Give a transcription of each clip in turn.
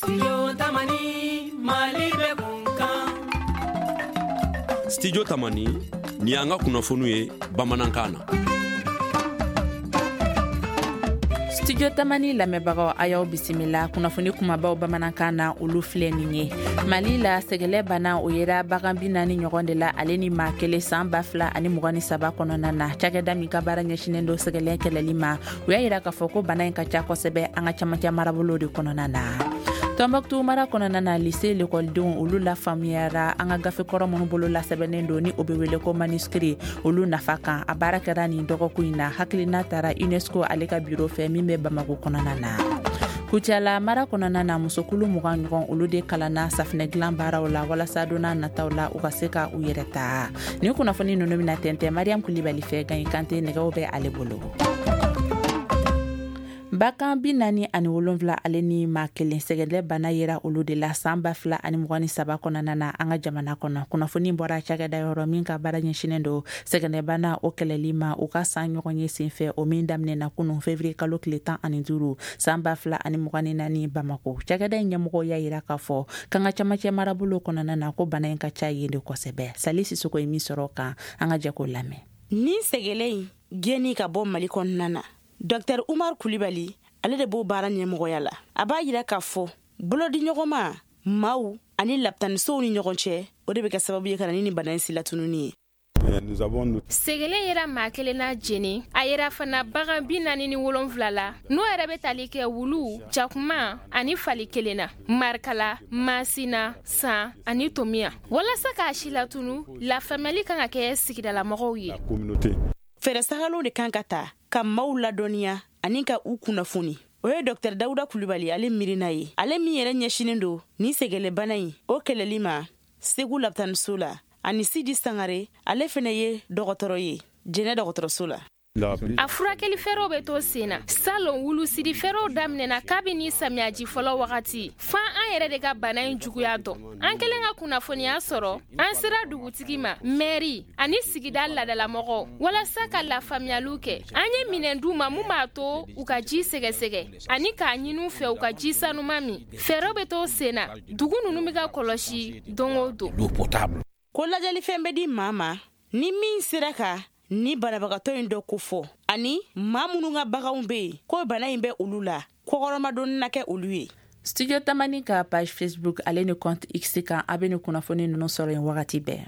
Studio Tamani, Mali bɛ kunkan. Studio Tamani, nin y'an ka kunnafoniw ye bamanankan na. Studio Tamani lamɛnbagaw, a y'aw bisimila. Kunnafoni kumabaw bamanankan na, olu filɛ nin ye. Mali la, sɛgɛlɛ bana o yera bagan 40 ɲɔgɔn de la ale ni maa kelen san 2023 kɔnɔna na. Cakɛda min ka baara ɲɛsinen don sɛgɛlɛ kɛlɛli ma, u y'a yira k'a fɔ ko bana in ka ca kosɛbɛ an ka camancɛ marabolo de kɔnɔna na. Tɔnbɔkutu mara kɔnɔna na, lise lekɔlidenw olu lafaamuyara an ka gafe kɔrɔ minnu bolo lasɛbɛnnen don, ni o bɛ wele ko manuscrit, olu nafa kan. A baara kɛra nin dɔgɔkun in na. Hakilina tara UNESCO ale ka biro fɛ min bɛ Bamako kɔnɔna na. Kucala mara kɔnɔna na, musokulu 20 ɲɔgɔn olu de kalanna safinɛ dilan baaraw la walasa don n'a nataw la u ka se ka u yɛrɛ ta. Nin kunnafoni ninnu bɛna tɛntɛn Mariam Kulibali fɛ. Gaɲi Kante nɛgɛw bɛ ale bolo. Bagan 47 ale ni maa kelen, sɛgɛlɛ bana yera olu de la san 2023 kɔnɔna na an ka jamana kɔnɔ. Kunnafoni bɔra cakɛda yɔrɔ min ka baara ɲɛsinen don sɛgɛlɛ bana o kɛlɛli ma, u ka san ɲɔgɔn ye senfɛ, o min daminɛna kunun fevrier kalo tile 15 san 2024 Bamako. Cakɛda in ɲɛmɔgɔw y'a yira k'a fɔ k'an ka camancɛ marabolo kɔnɔna na, ko bana in ka ca yen de kosɛbɛ. Sali Sisoko ye min sɔrɔ kan, an ka jɛ k'o lamɛn. Nin sɛgɛlɛ in gɛnni ka bɔ Mali kɔnɔna na, Dr Umar Kulibali, ale de b'o baara ɲɛmɔgɔya la. A b'a yira k'a fɔ bolodiɲɔgɔnma maaw ani lapitanisow ni ɲɔgɔn cɛ, o de bɛ kɛ sababu ye ka na ni nin bana in silatununi ye. Sɛgɛlɛ yera maa kelen na Jene. A yera fana bagan 47 la, n'o yɛrɛ bɛ tali kɛ wulu, jakuma ani fali kelen na Marikala, Masina, San ani Tomiya. Walasa k'a si latunu, lafaamuyali kan ka kɛ sigidalamɔgɔw ye. Fɛɛrɛ sagalenw de kan ka ta ka maaw ladɔnniya ani ka u kunnafoni. O ye Dr Dawuda Kulibali ale miirina ye, ale min yɛrɛ ɲɛsinen don nin sɛgɛlɛbana in o kɛlɛli ma Segu lapitaniso la, ani Sidi Sangare, ale fɛnɛ ye dɔgɔtɔrɔ ye Jɛnɛ dɔgɔtɔrɔso la. A furakɛli fɛɛrɛw bɛ to sen na. Salon, wulusidi fɛɛrɛw daminɛna kabini samiyaji fɔlɔ wagati, fan an yɛrɛ de ka bana in juguya dɔn. An kɛlen ka kunnafoniya sɔrɔ, an sera dugutigi ma, mɛri ani sigida ladalamɔgɔw, walasa ka lafaamuyaliw kɛ. An ye minɛn d'u ma mun b'a to u ka ji sɛgɛsɛgɛ ani k'a ɲini u fɛ u ka ji sanuma min. Fɛɛrɛw bɛ to sen na, dugu ninnu bɛ ka kɔlɔsi don o don. Ko lajɛlifɛn bɛ di maa ma ni min sera ka ni banabagatɔ in dɔ kofɔ, ani maa minnu ka baganw bɛ yen ko bana in bɛ olu la, kɔkɔrɔmadonni na kɛ olu ye. Studio Tamani ka page Facebook ale ni compte X kan, a bɛ ni kunnafoni ninnu sɔrɔ yen wagati bɛɛ.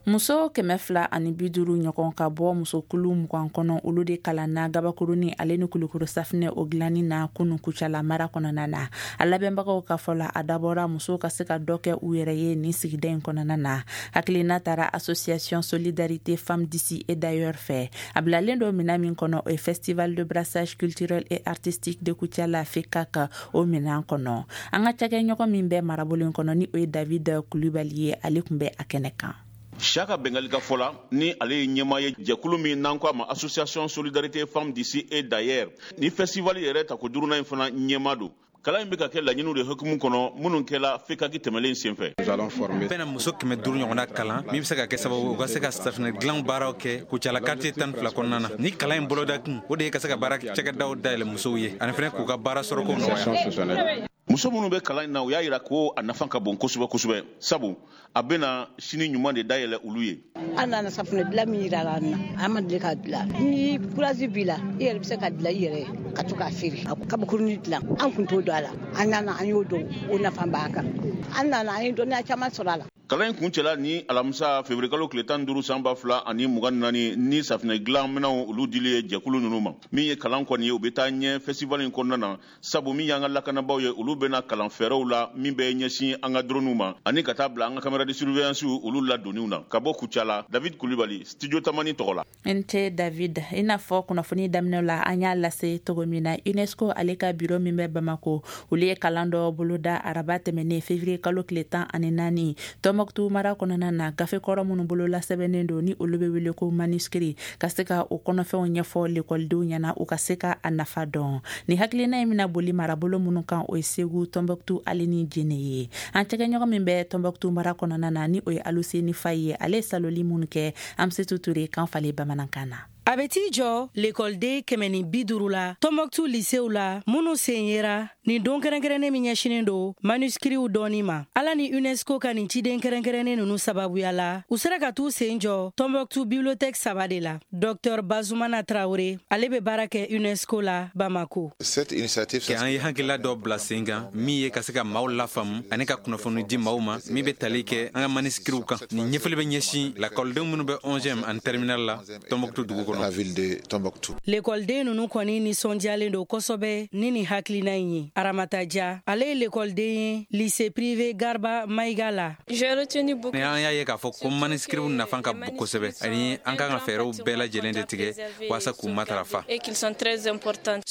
Muso 250 ɲɔgɔn ka bɔ musokulu 20 kɔnɔ, olu de kalanna gabakurunin ale ni kulukoro safinɛ o dilanni na kunu Kucala mara kɔnɔna na. A labɛnbagaw ka fɔ la, a dabɔra musow ka se ka dɔ kɛ u yɛrɛ ye nin sigida in kɔnɔna na. Hakilina tara Association Solidarité Femmes d'ici et d'ailleurs fɛ. A bilalen don minɛn min kɔnɔ, o ye Festival de brassage culturel et artistique de Kucala, FECAC, o minɛn kɔnɔ. An ka cakɛɲɔgɔn min bɛ marabolo in kɔnɔ, ni o ye David Kulibali ye, ale tun bɛ a kɛnɛ kan. Siyaka Bengali ka fɔ la, ni ale ye ɲɛmaa ye jɛkulu min n'an ko a ma Association Solidarité Femmes d'ici et d'ailleurs, ni festival yɛrɛ tako duurunan in fana ɲɛmaa don. Kalan in bɛ ka kɛ laɲiniw de hukumu kɔnɔ minnu kɛla FECAC tɛmɛlen senfɛ. Bɛna muso 500 ɲɔgɔnna kalan min bɛ se ka kɛ sababu u ka se ka safinɛ dilan baaraw kɛ Kucala quartier 12 kɔnɔna na. Ni kalan in bolodakun, o de ye ka se ka baara cakɛdaw dayɛlɛ musow ye ani fɛnɛ k'u ka baara sɔrɔko nɔgɔya. Muso minnu bɛ kalan in na, u y'a yira ko a nafa ka bon kosɛbɛ kosɛbɛ, sabu a bɛna sini ɲuman de dayɛlɛ olu ye. An nana safunɛ dilan min yira an na, an ma deli k'a dilan. Ni courage b'i la, i yɛrɛ bɛ se ka dilan i yɛrɛ ye ka to k'a feere. A kabakurunin dilan, an kun t'o dɔn a la, an nana an y'o dɔn, o nafa b'an kan. An nana an ye dɔnniya caman sɔrɔ a la. Kalan in kuncɛla ni alamisa février kalo tile 15 san 2024 ni safunɛ dilan minɛnw olu dili ye jɛkulu ninnu ma. Min ye kalan kɔni ye, u bɛ taa ɲɛ festival in kɔnɔna na, sabu min y'an ka lakanabaaw ye, olu bɛna kalan fɛɛrɛw la min bɛ ɲɛsin an ka droniw ma ani ka taa bila an ka caméra de surveillance olu ladonniw na. Ka bɔ Kucala, David Kulibali, Studio Tamani tɔgɔ la. N ce David. I n'a fɔ kunnafoni daminɛ la, an y'a lase cogo min na, UNESCO ale ka biro min bɛ Bamako, olu ye kalan dɔ boloda araba tɛmɛnen février kalo tile 14 Tɔnbɔkutu mara kɔnɔna na, gafe kɔrɔ minnu bolola sɛbɛnnen don, ni olu bɛ wele ko manuscrit, ka se ka o kɔnɔfɛnw ɲɛfɔ lekɔlidenw ɲɛna, u ka se ka a nafa dɔn. Ni hakilina in bɛna boli marabolo minnu kan, o ye Segu, Tɔnbɔkutu ale ni Jene ye. An cɛkɛɲɔgɔn min bɛ Tɔnbɔkutu mara kɔnɔna na, ni o ye Aluseni Fayi ye, ale ye saloli minnu kɛ Amsetu Ture kan falen bamanankan na. A bɛ t'i jɔ lekɔliden 150 la Tɔnbɔkutu lisew la, minnu sen yera nin don kɛrɛnkɛrɛnnen min ɲɛsinnen don manuskiriw dɔnni ma. Ala ni UNESCO ka nin ciden kɛrɛnkɛrɛnnen ninnu sababuya la, u sera ka t'u sen jɔ Tɔnbɔkutu bibliothèque 3 de la. Dr Bazumana Traore, ale bɛ baara kɛ UNESCO la Bamako. An ye hakilila dɔ bila sen kan min ye ka se ka maaw lafaamu ani ka kunnafoni di maaw ma min bɛ tali kɛ an ka manuskiriw kan. Nin ɲɛfɔli bɛ ɲɛsin lakɔlidenw minnu bɛ 11e ani terminal la Tɔnbɔkutu dugu kɔnɔ. Lekɔliden ninnu kɔni nisɔndiyalen don kosɛbɛ ni nin hakilina in ye. Aramata Dia, ale ye lekɔliden ye lycée privé Garba Maïga la. Ni an y'a ye k'a fɔ ko manuskiriw nafa ka bon kosɛbɛ, ani an kan ka fɛɛrɛw bɛɛ lajɛlen de tigɛ walasa k'u matarafa.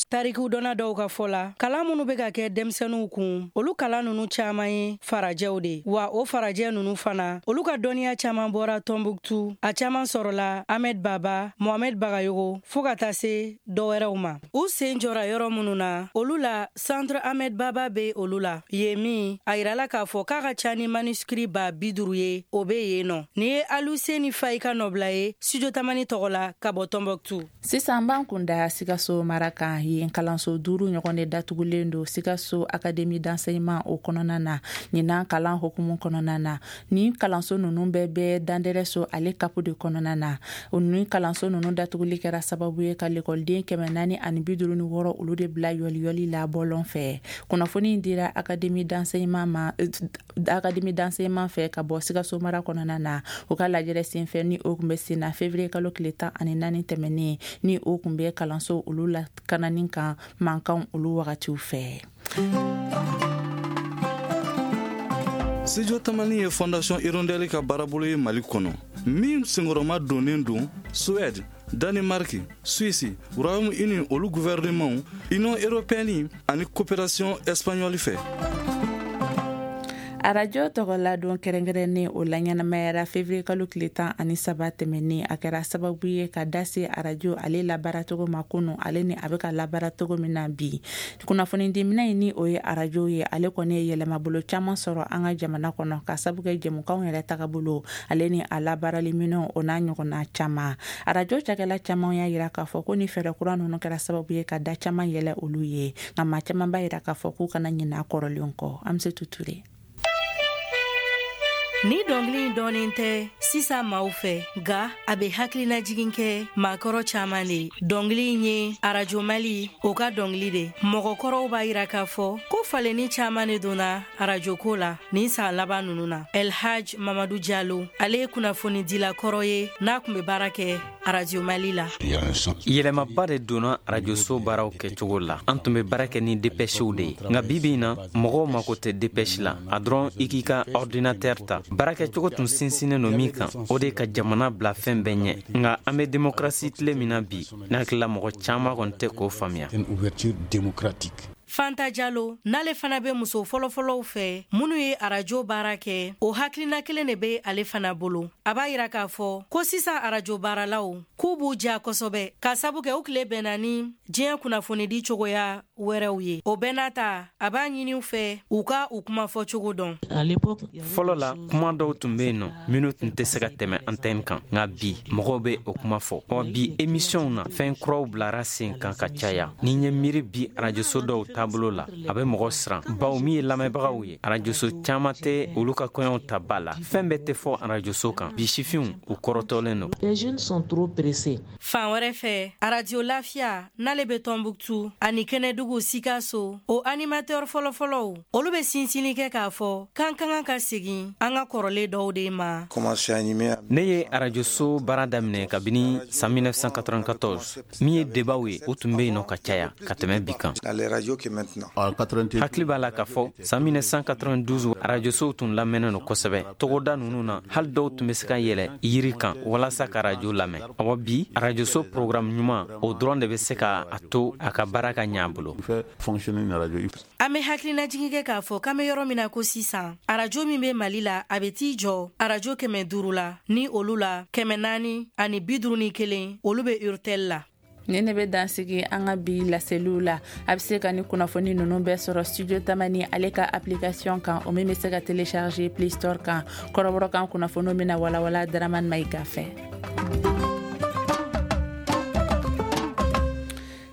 Tariku dɔnna dɔw ka fɔ la, kalan minnu bɛ ka kɛ denmisɛnninw kun, olu kalan ninnu caman ye farajɛw de. Wa o farajɛ ninnu fana, olu ka dɔnniya caman bɔra Tɔnbuktu, a caman sɔrɔla Ahmed Baba, Mohamed Bagayogo, fo ka taa se dɔwɛrɛw ma. U sen jɔra yɔrɔ minnu na, olu la Centre Ahmed Baba bɛ olu la. Yen min, a yirala k'a fɔ k'a ka ca ni manuscrit 50 000 ye, o bɛ yen nɔ. Nin ye Aluseni Fayi ka nɔbila ye Studio Tamani tɔgɔ la ka bɔ Tɔnbɔkutu. Sisan b'an kun da Sikaso mara kan. Yen kalanso 5 ɲɔgɔn de datugulen don Sikaso Académie d'enseignement o kɔnɔna na ɲinan kalan hukumu kɔnɔna na. Ni kalanso ninnu bɛɛ bɛ Dandɛrɛso ale kapu de kɔnɔna na. O ni kalanso ninnu datuguli kɛra sababu ye ka lekɔliden 456 olu de bila yɔliyɔli la bɔlɔn fɛ. Kunnafoni dira Académie d'enseignement ma, Académie d'enseignement fɛ ka bɔ Sikaso mara kɔnɔna na. U ka lajɛrɛ senfɛ ni o kun bɛ sen na février kalo tile 14 tɛmɛnen, ni o kun bɛ kalanso olu lakanani kan mankanw olu wagatiw fɛ. Studio Tamani ye Fondation Hirondelle ka baarabolo ye Mali kɔnɔ, min senkɔrɔma donnen don Suède, Danemark, Suisse, Royaume-Uni olu gouvernement, Union européenne ani coopération espagnole fɛ. Arajo tɔgɔladon kɛrɛnkɛrɛnnen o laɲɛnamayara février kalo tile 13 tɛmɛnen. A kɛra sababu ye ka da se arajo ale labaaracogo ma kunu, ale ni a bɛ ka labaara cogo min na bi. Kunnafonidiminɛ in ni o ye arajo ye, ale kɔni ye yɛlɛmabolo caman sɔrɔ an ka jamana kɔnɔ ka sabu kɛ jɛmukanw yɛrɛ tagabolo ale ni a labaaraliminɛnw o n'a ɲɔgɔnna caman. Arajo cakɛla caman y'a yira k'a fɔ ko ni fɛɛrɛ kura ninnu kɛra sababu ye ka da caman yɛlɛ olu ye, nka maa caman b'a yira k'a fɔ k'u kana ɲinɛ a kɔrɔlenw kɔ. An bɛ se tuture. Ni dɔnkili in dɔnnen tɛ sisan maaw fɛ, nka a bɛ hakilinajigin kɛ maakɔrɔ caman de. Dɔnkili in ye Arajo Mali o ka dɔnkili de. Mɔgɔkɔrɔw b'a yira k'a fɔ ko falenni caman de donna arajo ko la nin san laban ninnu na. El Hadj Mamadu Jalo, ale ye kunnafonidila kɔrɔ ye n'a tun bɛ baara kɛ Arajo Mali la. Yɛlɛmaba de donna arajoso baaraw kɛcogo la. An tun bɛ baara kɛ ni dépêchew de ye, nka bi bi in na mɔgɔw mako tɛ dépêche la, a dɔrɔn i k'i ka ordinateur ta. Baarakɛcogo tun sinsinnen don min kan, o de ka jamana bila fɛn bɛɛ ɲɛ. Nka an bɛ démocratie tile min na bi, ne hakili la mɔgɔ caman kɔni tɛ k'o faamuya. Fanta Jalo, n'ale fana bɛ muso fɔlɔfɔlɔw fɛ minnu ye arajo baara kɛ, o hakilina kelen de bɛ ale fana bolo. A b'a yira k'a fɔ ko sisan arajo baaralaw k'u b'u ja kosɛbɛ ka sabu kɛ u tile bɛnna ni diɲɛ kunnafonidi cogoya wɛrɛw ye. O bɛɛ n'a ta, a b'a ɲini u fɛ u ka u kuma fɔ cogo dɔn. Fɔlɔ la, kuma dɔw tun bɛ yen nɔ minnu tun tɛ se ka tɛmɛ antenne kan, nka bi mɔgɔw bɛ o kuma fɔ. Ɔ bi émissionw na, fɛn kuraw bilara sen kan ka caya. Ni n ye miiri bi arajoso dɔw taabolo la, a bɛ mɔgɔ siran, bawo min ye lamɛnbagaw ye, arajoso caman tɛ olu ka kɔɲɔw ta ba la. Fɛn bɛɛ tɛ fɔ arajoso kan. Bi sifinw u kɔrɔtɔlen don. Fan wɛrɛ fɛ, Arajo Lafiya n'ale bɛ Tɔnbuktu ani Kɛnɛdugu Sikaso, o animateur fɔlɔfɔlɔw olu bɛ sinsinni kɛ k'a fɔ k'an ka kan ka segin an ka kɔrɔlen dɔw de ma. Ne ye arajoso baara daminɛ kabini san 1994. Min ye debaw ye, o tun bɛ yen nɔ ka caya ka tɛmɛ bi kan. Hakili b'a la k'a fɔ san 1992 arajosow tun lamɛnnen don kosɛbɛ togoda ninnu na, hali dɔw tun bɛ se ka yɛlɛ yiri kan walasa ka arajo lamɛn. Awa bi arajoso programme ɲuman o dɔrɔn de bɛ se ka a to a ka baara ka ɲɛ a bolo. An bɛ hakilinajigin kɛ k'a fɔ k'an bɛ yɔrɔ min na ko sisan, arajo min bɛ Mali la, a bɛ t'i jɔ arajo 500 la, ni olu la 451 olu bɛ Urtel la. Ni ne bɛ dansigi an ka bi laseliw la. A bɛ se ka ni kunnafoni ninnu bɛɛ sɔrɔ Studio Tamani ale ka application kan, o min bɛ se ka télécharger Play Store kan. Kɔrɔbɔrɔkan kunnafoniw bɛna walawala Dramane Maïga fɛ.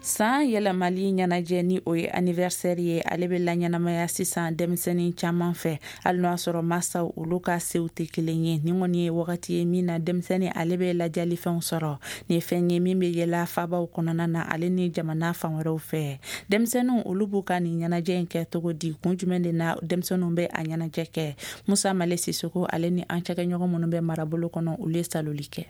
San yɛlɛmali ɲɛnajɛ, ni o ye anniversaire ye, ale bɛ laɲɛnamaya sisan denmisɛnnin caman fɛ, hali n'o y'a sɔrɔ masaw olu ka sew tɛ kelen ye. Nin kɔni ye wagati ye min na denmisɛnnin ale bɛ lajɛlifɛnw sɔrɔ. Nin ye fɛn ye min bɛ yɛlɛ fabaw kɔnɔna na, ale ni jamana fan wɛrɛw fɛ. Denmisɛnninw olu b'u ka nin ɲɛnajɛ in kɛ cogo di? Kun jumɛn de na denmisɛnninw bɛ a ɲɛnajɛ kɛ? Musa Male Sisoko, ale ni an cakɛɲɔgɔn minnu bɛ marabolo kɔnɔ, olu ye saloli kɛ.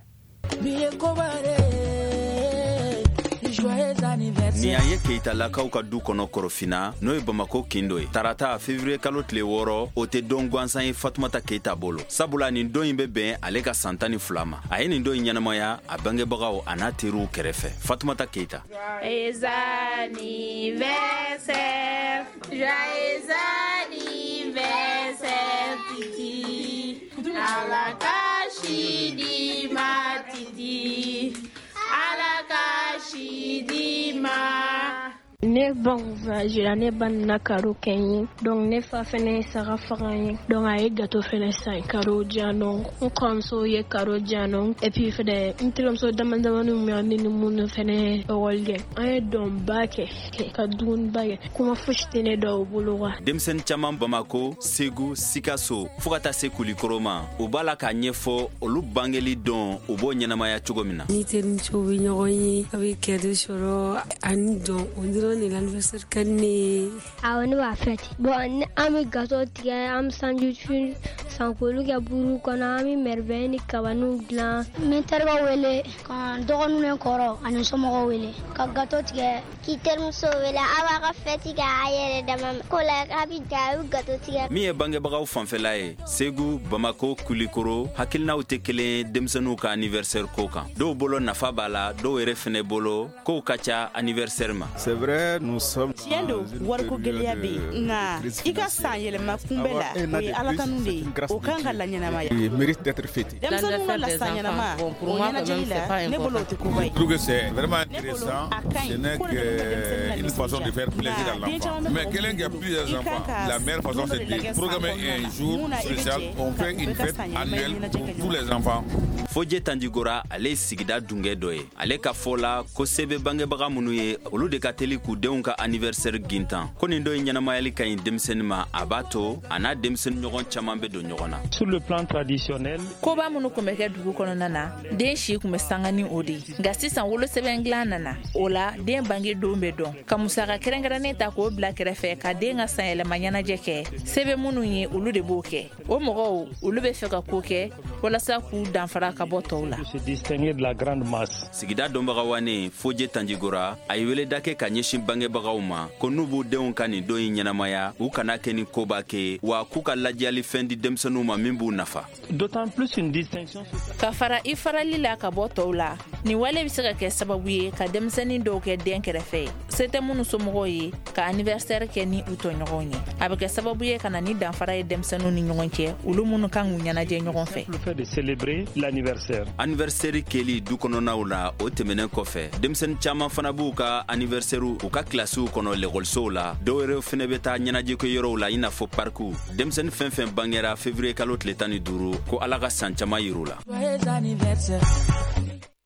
Nin y'an ye Keyitalakaw ka du kɔnɔ Korofina, n'o ye Bamako kin dɔ ye. Tarata, février kalo tile 6, o tɛ don gansan ye Fatumata Keyita bolo, sabula nin don in bɛ bɛn ale ka san 12 ma. A ye nin don in ɲɛnamaya a bangebagaw a n'a teriw kɛrɛfɛ. Fatumata Keyita. Joyeux anniversaire, joyeux anniversaire Titi, Ala ka si di ma Titi, Ala ka si di ma. Ne ba voyagera, ne ba nana cadeau kɛ n ye. Donc ne fa fɛnɛ ye saga faga n ye, donc a ye gâteau fɛnɛ san, cadeau di yan nɔ. N kɔrɔmuso ye cadeau di yan nɔ, et puis fɛnɛ n terimuso dama damani min bɛ ne ni minnu fɛnɛ ekɔli kɛ, an ye dɔnba kɛ ka dumuniba kɛ. Kuma fosi tɛ ne dɔw bolo quoi. Denmisɛnnin caman Bamako, Segu, Sikaso, fo ka taa se Kulikoro ma, u b'a la k'a ɲɛfɔ olu bangeli don, u b'o ɲɛnamaya cogo min na. Ni terimuso bɛ ɲɔgɔn ye, a bɛ cadeau sɔrɔ ani dɔn, o dɔrɔn de l'anniversaire ka di ne ye. Awɔ, ne b'a fêter. Bon, an bɛ gâteau tigɛ, an bɛ sandwich san k'olu kɛ buru kɔnɔ, an bɛ merveille ni kabaniw dilan. N bɛ n terikɛw wele, ka n dɔgɔninw ni kɔrɔ ani somɔgɔw wele ka gâteau tigɛ. K'i terimuso wele, aw b'a ka fête kɛ a yɛrɛ dama ko la, a bɛ ja, a bɛ gâteau tigɛ. Min ye bangebagaw fanfɛla ye, Segu, Bamako, Kulikoro, hakilinaw tɛ kelen ye denmisɛnninw ka anniversaire ko kan. Dɔw bolo nafa b'a la, dɔw yɛrɛ fɛnɛ bolo kow ka ca anniversaire ma. C'est vrai, nous sommes Tiɲɛ don, wariko gɛlɛya bɛ yen, nka i ka san yɛlɛma kunbɛ la, o ye Ala tanu de ye, o kan ka laɲɛnamaya. Mérite d'être fêté. Denmisɛnninw ka la san ɲɛnama o ɲɛnajɛli la, ne bolo o tɛ koba ye. Je trouve que c'est vraiment intéressant. Ce n'est qu'une façon de faire plaisir à l'enfant. Mais quelqu'un qui a plusieurs enfants, la meilleure façon, c'est de programmer un jour spécial. On fait une fête annuelle pour tous les enfants. Fojɛ Tanjigora, ale ye sigida dungɛ dɔ ye. Ale ka fɔ la ko se bɛ bangebaga minnu ye, olu de ka teli k'u denw ka anniversaire gintan. Ko nin don in ɲɛnamayali ka ɲi denmisɛnnin ma, a b'a to a n'a denmisɛnnin ɲɔgɔn caman bɛ don ɲɔgɔn na. Sur le plan traditionnel, koba minnu tun bɛ kɛ dugu kɔnɔna na, den si tun bɛ sanga ni o de ye. Nka sisan wolosɛbɛn dilan nana, o la den bange don bɛ dɔn, ka musaka kɛrɛnkɛrɛnnen ta k'o bila kɛrɛfɛ ka den ka sanyɛlɛma ɲɛnajɛ kɛ. Se bɛ minnu ye, olu de b'o kɛ. O mɔgɔw olu bɛ fɛ ka ko kɛ walasa k'u danfara ka bɔ tɔw la. Se distinguer de la grande masse. Sigida dɔnbaga wanen Fojɛ Tanjigora, a ye weleda kɛ ka ɲɛsin bangebagaw ma ko n'u b'u denw ka nin don in ɲɛnamaya, u kana kɛ ni koba kɛ, wa k'u ka lajɛyali fɛn di denmisɛnninw ma min b'u nafa. D'autant plus une distinction. Ka fara i farali la ka bɔ tɔw la, nin wale bɛ se ka kɛ sababu ye ka denmisɛnnin dɔw kɛ den kɛrɛfɛ ye, se tɛ minnu somɔgɔw ye, ka anniversaire kɛ ni u tɔɲɔgɔnw ye. A bɛ kɛ sababu ye ka na ni danfara ye denmisɛnninw ni ɲɔgɔn cɛ, olu minnu kan k'u ɲɛnajɛ ɲɔgɔn fɛ. Le fait de célébrer l'anniversaire. Anniversaire kɛli du kɔnɔnaw la, o tɛmɛnen kɔfɛ, denmisɛnnin caman fana b'u ka anniversaire u ka kilasiw kɔnɔ lekɔlisow la. Dɔw yɛrɛ fɛnɛ bɛ taa ɲɛnajɛkɛ yɔrɔw la, i n'a fɔ parkiw. Denmisɛnnin fɛn fɛn bangera février kalo tile 15, ko Ala ka san caman yir'u la. Joyeux anniversaire.